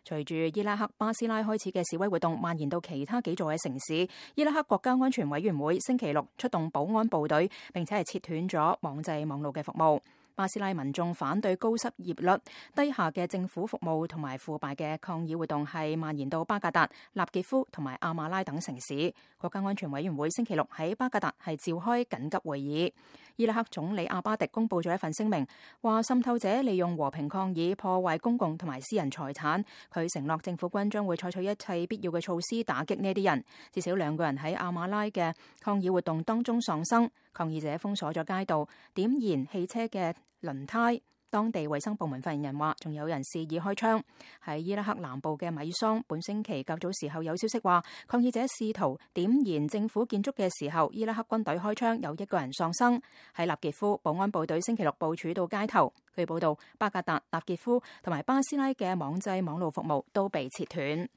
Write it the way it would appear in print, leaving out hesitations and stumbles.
隨住伊拉克巴斯拉開始嘅示威活動蔓延到其他幾座嘅城市，伊拉克國家安全委員會星期六出動保安部隊，並且係切斷咗網際網路嘅服務。巴斯拉民眾反對高失業率、低下嘅政府服務同埋腐敗嘅抗議活動係蔓延到巴格達、納傑夫同埋阿馬拉等城市。國家安全委員會星期六喺巴格達係召開緊急會議。伊拉克總理阿巴迪公佈咗一份聲明，話滲透者利用和平抗議破壞公共同埋私人財產。佢承諾政府軍將會採取一切必要嘅措施打擊呢啲人。至少2個人喺阿馬拉嘅抗議活動當中喪生。抗議者封鎖咗街道，點燃汽車嘅輪胎。當地衛生部門發言人話，仲有人肆意開槍。喺伊拉克南部嘅米桑，本星期較早時候有消息話，抗議者試圖點燃政府建築嘅時候，伊拉克軍隊開槍，有1個人喪生。喺納傑夫，保安部隊星期六部署到街頭。據報道，巴格達、納傑夫同埋巴斯拉嘅網際網路服務都被切斷。